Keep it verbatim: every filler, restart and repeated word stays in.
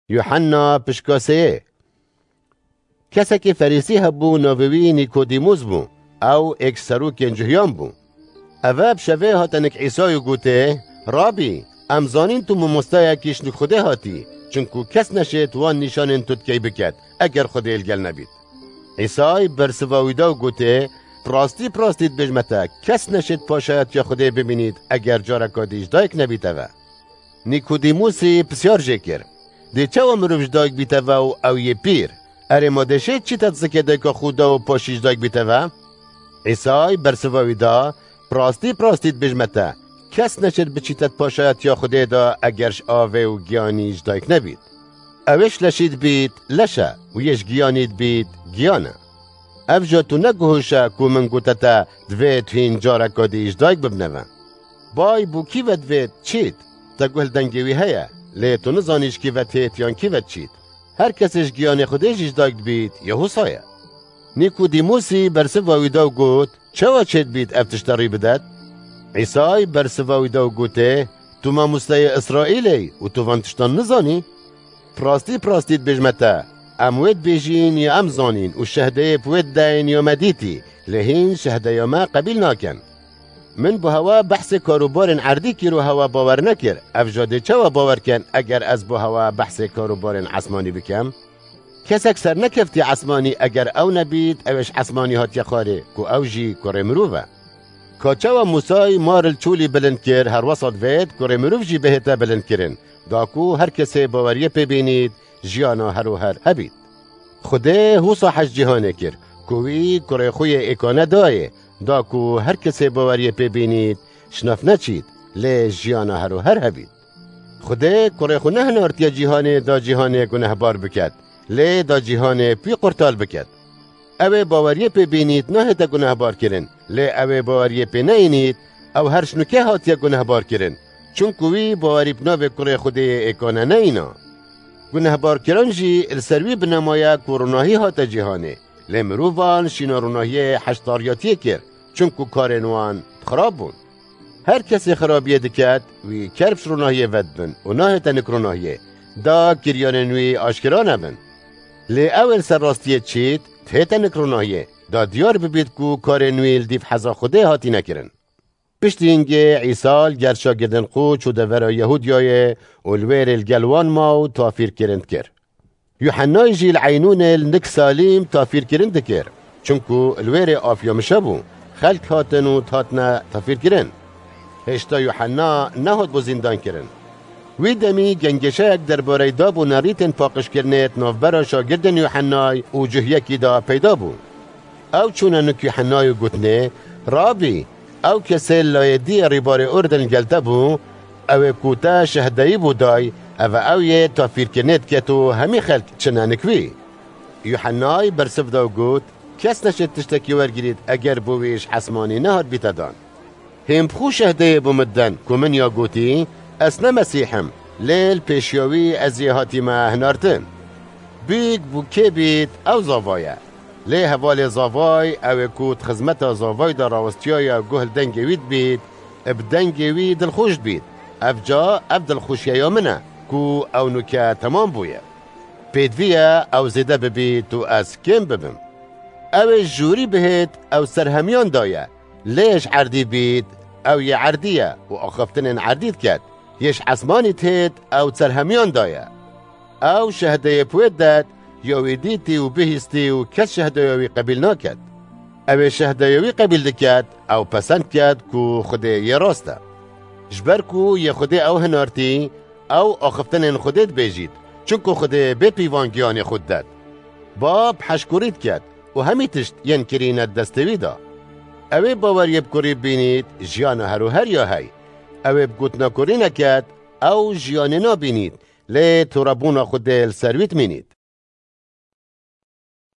Yuhanna pişka sêyê. Kesekî Ferîsî hebû, navê wî Nîkodîmûs bû. Ew êk serokên cuhiyan bû. Eve bi şevê hate nik Îsayê û gotê, Rabî, em zanîn tu mamosteyekî ji nik Xwedê hatî, çinku kes neşêt wan nîşanên tu dikey biket, eger Xwedê li gel nebît. Îsay bersiva wî da û gotê, Bi rastî, bi rastî dibêjme te, kes neşêt paşayetiya Xwedê bibînît, eger careka dî ji dayik nebîte ve. Nîkodîmûsî pisyar jê kir, Dê çawa mirov ji dayik bîte ve û ew yê pîr? Erê, ma dê şêt çîte di zikê dayika xwe de û paşî ji dayik bîte ve? Îsay bersiva wî da, Bi rastî, bi rastî dibêjme te, kes neşêt biçîte di paşayetiya Xwedê de, eger ji avê û giyanî ji dayik nebît. Ew ê ji leşî dibît leş e û yê ji giyanî dibît giyan e. Ev jî tu neguhişe ku min gote te, divê tu hîn careka dî ji dayik bibine ve. Bay, bo kî ve divêt çît? Te guh li dengê wî heye, lê tu nizanî ji kî ve têt yan kî ve çît. Her kesê ji giyanê Xwedê jî ji dayik dibît, ya wisa ye. Nîkodîmûsî bersiva wî da û got, Çawa çêdibît ev tişte rî bidet? Îsay bersiva wî da û gotê, Tu mamosteyê Îsraîlê yî û tu van tiştan nizanî? Bi rastî, bi rastî dibêjme te, em wê dibêjîn ya em zanîn û şehdeyê bi wê dideyin ya me dîtî, lê hîn şehdeya me qebîl nakin. Min bo hewa behsê karûbarên erdî kir û hewa bawer nekir, ev jî dê çawa bawer kin eger ez bo hewa behsê karûbarên esmanî bikim? Kesek sernekeftiye esmanî eger ew nebît, ew ê ji esmanî hatiye xwarê, ku ew jî kurê mirov e. Ka çawa Mûsay mar li çolî bilind kir, her wesa divêt kurê mirov jî bihête bilindkirin, da ku her kesê baweriyê pê bînît, jiyana her û her hebît. Xwedê wisa hez cîhanê kir, ku wî kurê xwe yê êkane dayê, da ku her kesê baweriyê pê bînît, ji nav neçît, lê jiyana her û her hebît. Xwedê kurê xwe nehinartiye cîhanê da cîhanê gunehbar biket, lê da cîhanê bi wî qurtal biket. Ew ê baweriyê pê bînît nahête gunehbar kirin, lê ew ê baweriyê pê neyînît, ew her ji nûke hatiye gunehbar kirin, çunku wî bawerî bi navê kurê Xwedê yê êkane neyîna. Gunehbarkiran jî li ser wî binemaye ku ronahî hate cîhanê, lê mirovan şîna ronahiyê heşdariyatiyê kir, çunku karên wan xirab bûn. Her kesê xirabiyê diket, wî kerb ji ronahiyê vedibin û nahête nik ronahiyê, da kiryanên wî aşkera nebin. Lê ew ê li ser rastiyê çît, dihête nik ronahiyê, da diyar bibît ku karên wî li dîv heza Xwedê hatine kirin. Piştî hingê Îsa li gel şagirdên xwe çû devera Yehûdiyayê û li wêrê li gel wan ma û tafîrkirin dikir. Yuhennayê jî li Eynûnê li nik Salîm tafîrkirin dikir, çunku li wêrê afiya mişe bû, xelk hatin û hatine tafîrkirin. Hêşta Yuhenna nehat bo zîndankirin. Wî demî gengeşeyek derbareyê dab û nerîtên paqijkirinê di navbera şagirdên Yuhennayê û cuhiyekî de peyda bû. Ew çûne nik Yuhennayê û gotinê, Rabî, ew kesê li layê diyê rîbarê Urdin li gel te bû, ew ê ku te şehdeyî bû day, ev e ew yê tafîrkirinê diket û hemî xelk çine nik wî. Yuhennayê bersiv da û got, Kes neşêt tiştekî wergirît eger bo wî ji esmanî nehatbîte dan. Hîn bi xwe şehdeyê bo min den ku min ya gotî, Ez ne Mesîh im, lê li pêşiya wî ez yê hatîme hinartin. Bîk bo kê bît, ew zava ye. Lê hevalê zavay, ew ê ku di xizmeta zavay de rawestiyaye guh li dengê wî dibît, bi dengê wî dilxweş dibît. Ev ca, ev dilxweşiyeya min e, ku ew nûke temam bûye. Pêdivî ye ew zêde bibît û ez kêm bibim. Ew ê ji jorî bihêt, ew ser hemiyan daye. Lê ji erdî bît, ew yê erdî ye û axiftinên erdî diket. Yê ji esmanî dihêt, ew ser hemiyan daye. Ew şehdeyê bi wê didet, ya wî dîtî û bihîstî û kes şehdeya wî qebîl naket. Ew ê şehdeya wî qebîl diket, ew pesend ket ku Xwedê yê rast e. Ji ber ku yê Xwedê ew hinartî, ew axiftinên Xwedê dibêjît, çunku Xwedê bê pîvan giyanê xwe didet. Bab heşkurî diket û hemî tişt yên kirîne di destê wî de. Ew ê baweriyê bi kurî bînît, jiyana her û her ya hey. Ew ê bi gotina kurî neket, ew jiyanê nabînît, lê torebûna Xwedê li ser wî dimînît.